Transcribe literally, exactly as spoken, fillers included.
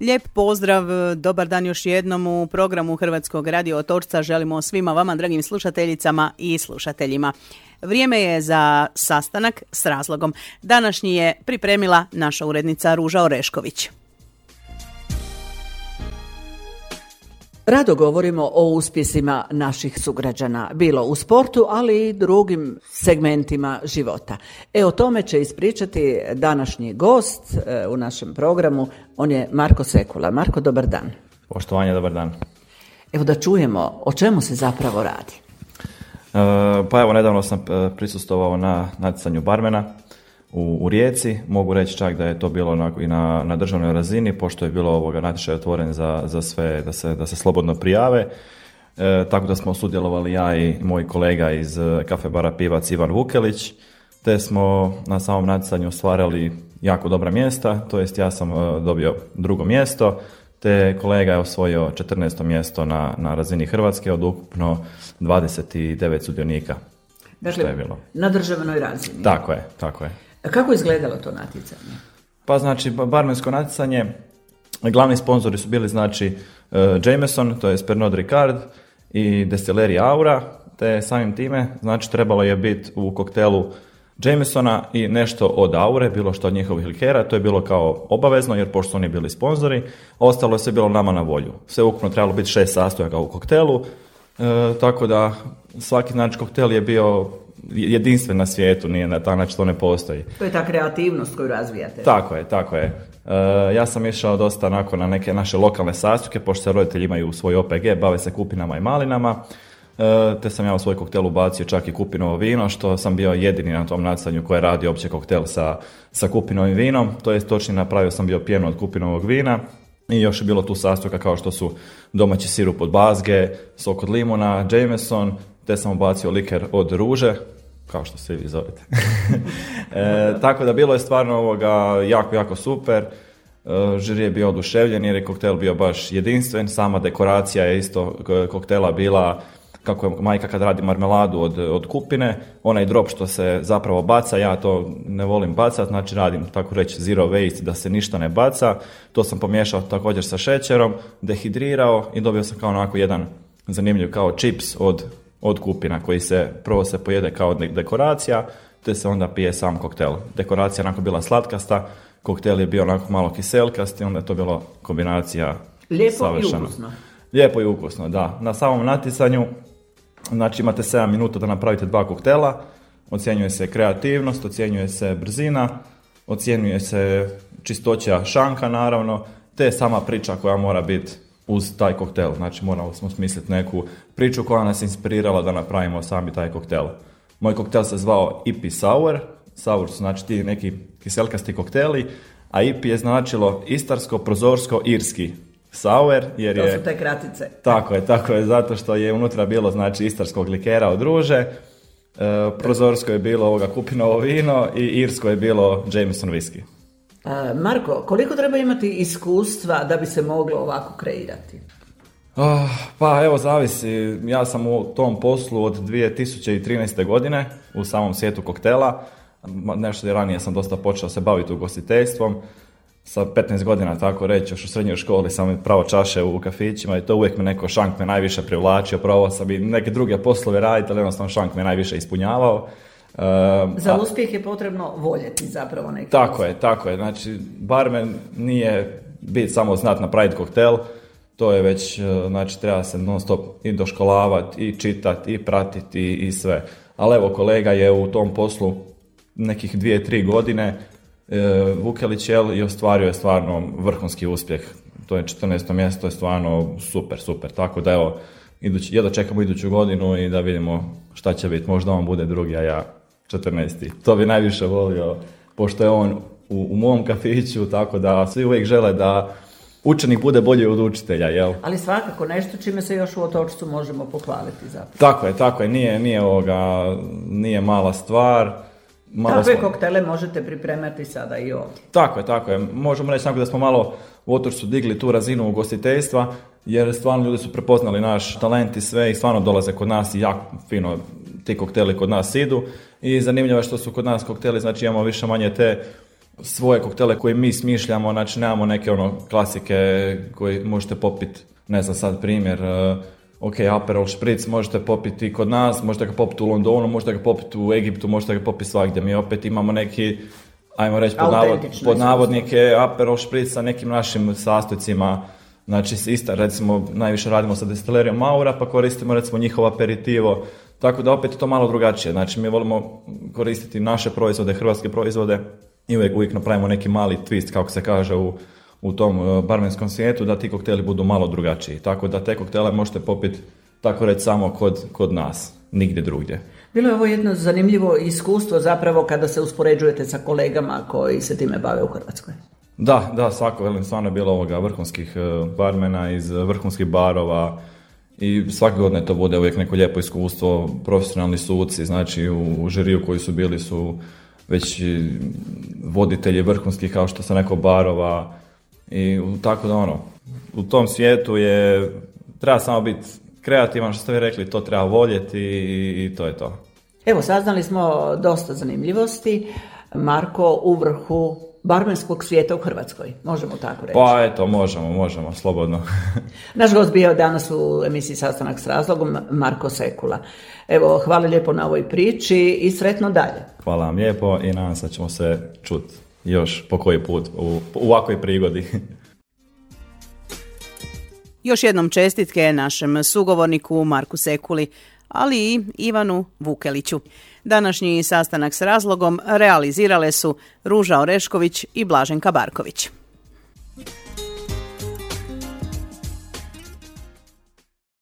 Lijep pozdrav, dobar dan još jednom u programu Hrvatskog radio Otočca. Želimo svima vama, dragim slušateljicama i slušateljima. Vrijeme je za sastanak s razlogom. Današnji je pripremila naša urednica Ruža Orešković. Rado govorimo o uspjesima naših sugrađana, bilo u sportu, ali i drugim segmentima života. E, o tome će ispričati današnji gost e, u našem programu. On je Marko Sekula. Marko, dobar dan. Poštovanje, dobar dan. Evo da čujemo o čemu se zapravo radi. E, pa evo, nedavno sam prisustvovao na natjecanju barmena u, u Rijeci. Mogu reći čak da je to bilo na, i na, na državnoj razini, pošto je bilo ovoga natječaj otvoren za, za sve, da se, da se slobodno prijave. E, tako da smo sudjelovali ja i moj kolega iz kafe bara Pivac Ivan Vukelić, te smo na samom natjecanju ostvarili jako dobra mjesta, to jest ja sam uh, dobio drugo mjesto, te kolega je osvojio četrnaesto mjesto na, na razini Hrvatske od ukupno dvadeset devet sudionika. Dakle, što je bilo na državnoj razini. Tako je, tako je. A kako je izgledalo to natjecanje? Pa znači, barmensko natjecanje, glavni sponzori su bili znači uh, Jameson, to je Pernod Ricard i Destileri Aura, te samim time znači trebalo je biti u koktelu Jamesona i nešto od Aure, bilo što od njihovih likera, to je bilo kao obavezno jer pošto su oni bili sponzori, ostalo je sve bilo nama na volju. Sve ukupno trebalo biti šest sastojaka u koktelu, e, tako da svaki znači koktel je bio jedinstven na svijetu, nije na taj način to ne postoji. To je ta kreativnost koju razvijate. Tako je, tako je. E, ja sam išao dosta onako na neke naše lokalne sastojke, pošto se roditelji imaju svoj O P G, bave se kupinama i malinama. Te sam ja u svoj koktel ubacio čak i kupinovo vino, što sam bio jedini na tom natjecanju koji je radio opće koktel sa, sa kupinovim vinom, to je točnije napravio sam bio pjenu od kupinovog vina i još je bilo tu sastojka kao što su domaći sirup od bazge, sok od limuna, Jameson, te sam ubacio liker od ruže, kao što se vi zovete. e, tako da bilo je stvarno ovoga jako, jako super. E, žiri je bio oduševljen jer je koktel bio baš jedinstven, sama dekoracija je isto koktela bila kako je majka kad radi marmeladu od, od kupine, onaj drop što se zapravo baca, ja to ne volim bacati, znači radim tako reći zero waste, da se ništa ne baca, to sam pomiješao također sa šećerom, dehidrirao i dobio sam kao onako jedan zanimljiv kao čips od, od kupina koji se prvo se pojede kao dekoracija, te se onda pije sam koktel. Dekoracija je onako bila slatkasta, koktel je bio onako malo kiselkast i onda je to bilo kombinacija lijepo savršena. I ukusno. Lijepo i ukusno, da. Na samom natjecanju znači imate sedam minuta da napravite dva koktela, ocjenjuje se kreativnost, ocjenjuje se brzina, ocjenjuje se čistoća šanka naravno, te sama priča koja mora biti uz taj koktel. Znači morali smo smisliti neku priču koja nas inspirirala da napravimo sami taj koktel. Moj koktel se zvao I P Sour, sour su znači ti neki kiselkasti kokteli, a I P je značilo istarsko, prozorsko, irski. Sour, jer je... To su te kratice. Tako je, tako je, zato što je unutra bilo, znači, istarskog likera od ruže, e, prozorsko je bilo ovoga kupinovo vino i irsko je bilo Jameson whisky. E, Marko, koliko treba imati iskustva da bi se moglo ovako kreirati? Oh, pa evo, zavisi. Ja sam u tom poslu od dvije tisuće trinaeste. godine u samom svijetu koktela. Nešto ranije sam dosta počeo se baviti ugostiteljstvom. Sa petnaest godina, tako reći, još u srednjoj školi sam pravo čaše u kafićima i to uvijek me neko šank me najviše privlačio, probao sam i neke druge poslove raditi, ali jednostavno šank me najviše ispunjavao. Uh, Za a, uspjeh je potrebno voljeti zapravo neki. Tako uspjeh. je, tako je. Znači, barmen nije biti samo znat napraviti koktel, to je već, znači, treba se non stop i doškolavati, i čitati, i pratiti, i, i sve. Ali evo, kolega je u tom poslu nekih dvije, tri godine, E, Vukelić jel, i ostvario je stvarno vrhunski uspjeh. To je četrnaesto mjesto, to je stvarno super, super. Tako da evo, idući, jedno čekamo iduću godinu i da vidimo šta će biti. Možda on bude drugi, a ja četrnaesti. To bi najviše volio, pošto je on u, u mom kafiću, tako da svi uvijek žele da učenik bude bolji od učitelja, jel? Ali svakako nešto čime se još u Otočcu možemo pohvaliti zapravo. Tako je, tako je. Nije, nije, ovoga, nije mala stvar. Malo Kakve smo... koktele možete pripremati sada i ovdje? Tako je, tako je. Možemo reći da smo malo u Otočcu digli tu razinu ugostiteljstva, jer stvarno ljudi su prepoznali naš talent i sve i stvarno dolaze kod nas i jako fino ti kokteli kod nas idu. I zanimljivo je što su kod nas kokteli, znači imamo više manje te svoje koktele koje mi smišljamo, znači nemamo neke ono klasike koje možete popiti, ne znam sad primjer, uh, ok, Aperol Spritz možete popiti kod nas, možete ga popiti u Londonu, možete ga popiti u Egiptu, možete ga popiti svagdje. Mi opet imamo neki, ajmo reći pod, navod, pod navodnike, Aperol Spritz sa nekim našim sastojcima. Znači, ista, recimo, najviše radimo sa destilerijom Maura, pa koristimo recimo njihov aperitivo. Tako da opet je to malo drugačije. Znači, mi volimo koristiti naše proizvode, hrvatske proizvode i uvijek, uvijek napravimo neki mali twist, kako se kaže u, u tom barmenskom svijetu, da ti kokteli budu malo drugačiji. Tako da te koktele možete popiti, tako reći, samo kod, kod nas, nigdje drugdje. Bilo je ovo jedno zanimljivo iskustvo zapravo kada se uspoređujete sa kolegama koji se time bave u Hrvatskoj. Da, da, svako, velim, stvarno je bilo ovoga vrhunskih barmena iz vrhunskih barova i svake godine to bude uvijek neko lijepo iskustvo, profesionalni suci, znači u, u žiriju koji su bili su već voditelji vrhunskih, kao što sam rekao, barova i tako da ono, u tom svijetu je, treba samo biti kreativan, što ste vi rekli, to treba voljeti i, i to je to. Evo, saznali smo dosta zanimljivosti. Marko u vrhu barmenskog svijeta u Hrvatskoj, možemo tako reći. Pa eto, možemo, možemo, slobodno. Naš gost bio danas u emisiji Sastanak s razlogom, Marko Sekula. Evo, hvala lijepo na ovoj priči i sretno dalje. Hvala vam lijepo i nadam se da ćemo se čuti još po koji put u, u ovakvoj prigodi. Još jednom čestitke našem sugovorniku Marku Sekuli, ali i Ivanu Vukeliću. Današnji sastanak s razlogom realizirale su Ruža Orešković i Blaženka Barković.